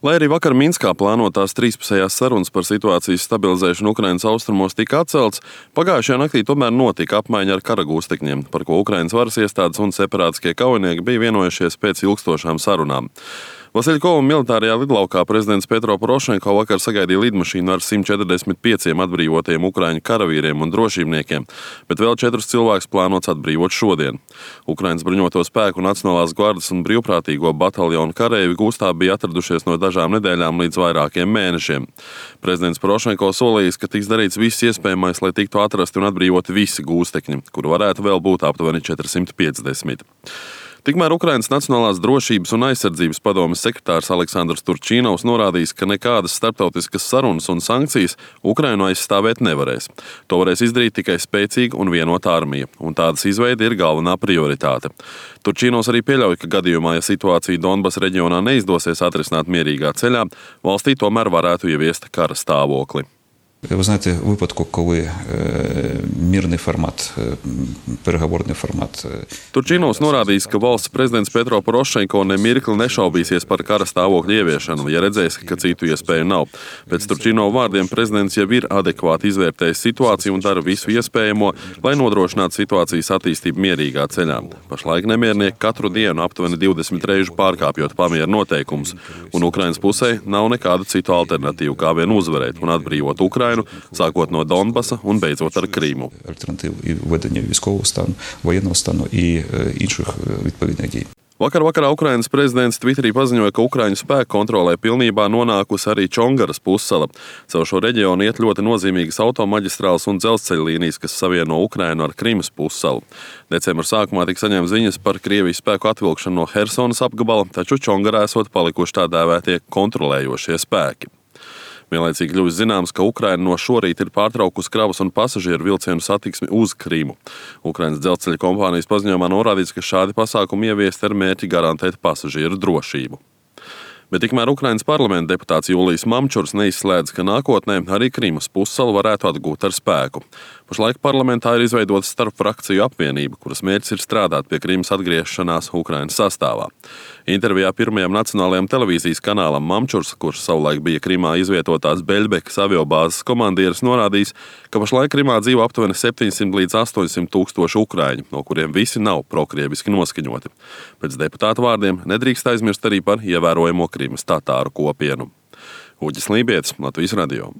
Lai arī vakar Minskā plānotās trīspusējās sarunas par situācijas stabilizēšanu Ukrainas austrumos tika atceltas, pagājušajā naktī tomēr notika apmaiņa ar karagūstekņiem, par ko Ukrainas varas iestādes un separātiskie kaujinieki bija vienojušies pēc ilgstošām sarunām. Vasiļkova militārajā lidlaukā prezidents Petro Porošenko vakar sagaidīja lidmašīnu ar 145 atbrīvotiem ukraiņu karavīriem un drošībniekiem, bet vēl 4 cilvēkus plānots atbrīvot šodien. Ukrainas bruņoto spēku Nacionālās gvardes un brīvprātīgo bataljonu kareivji gūstā bija atradušies no dažām nedēļām līdz vairākiem mēnešiem. Prezidents Porošenko solījis, ka tiks darīts viss iespējamais, lai tiktu atrasti un atbrīvoti visi gūstekņi, kuru varētu vēl būt aptuveni 450. Tikmēr Ukrainas Nacionālās drošības un aizsardzības padomes sekretārs Aleksandrs Turčīnovs norādījis, ka nekādas starptautiskas sarunas un sankcijas Ukrainu aizstāvēt nevarēs. To varēs izdarīt tikai spēcīga un vienota armija, un tādas izveide ir galvenā prioritāte. Turčīnovs arī pieļauj, ka gadījumā, ja situācija Donbasa reģionā neizdosies atrisināt mierīgā ceļā, valstī tomēr varētu ieviest kara stāvokli. Ви знаєте, у випадку, коли мирний формат, переговорний формат. Turčīnovs norādījis, ka valsts prezidents Petro Porošenko nemirkli nešaubīsies par kara stāvokļa ieviešanu, ja redzēs, ka citu iespēju nav. Pēc Turčīnova vārdiem prezidents jau ir adekvāti izvērtējis situāciju un dara visu iespējamo, lai nodrošinātu situācijas attīstību mierīgā ceļā. Pašlaik nemiernieki katru dienu aptuveni 20 reižu pārkāpjot pamieru noteikumus, un Ukrainas pusē nav nekādu citu alternatīvu, kā vien uzvarēt un atbrīvot Ukrainu, sākot no Donbasa un beidzot ar Krīmu. Альтернатив і введення військового стану, воєнного стану і інших відповідних дій. Vakarā Ukrainas prezidents Twitterī paziņoja, ka Ukraiņu spēku kontrolē pilnībā nonākusi arī Čongaras pussala. Caur šo reģionu iet ļoti nozīmīgas automaģistrāles un dzelzceļa līnijas, kas savieno Ukrainu ar Krimas pussalu. Decembra sākumā tika saņemts ziņas par Krievijas spēku atvilkšanu no Hersonas apgabala, taču Čongarā esot palikuši tā dēvētie kontrolējošie spēki. Vienlaicīgi kļuvis zināms, ka Ukraina no šorīt ir pārtraukusi kravas un pasažieru vilcienu satiksmi uz Krimu. Ukrainas dzelzceļa kompānijas paziņojumā norādīts, ka šādi pasākumi ieviesti ar mērķi garantēt pasažieru drošību. Bet tikmēr Ukrainas parlamenta deputāts Julijs Mamčurs neizslēdz, ka nākotnē arī Krimas pussala varētu atgūt ar spēku. Pašlaik parlamentā ir izveidota starpfrakciju apvienība, kuras mērķis ir strādāt pie Krimas atgriešanās Ukrainas sastāvā. Intervijā pirmajam nacionālajam televīzijas kanālam Mamčurs, kurš savulaik bija Krimā izvietotās Beļbekas aviobāzes komandieris, norādījis, ka pašlaik Krimā dzīvo aptuveni 700 līdz 800 tūkstoši ukraiņu, no kuriem visi nav prokrieviski noskaņoti. Pēc deputāta vārdiem nedrīkst aizmirst arī par ievērojamo Krimas tatāru kopienu. Uģis Lībietis, Latvijas radio.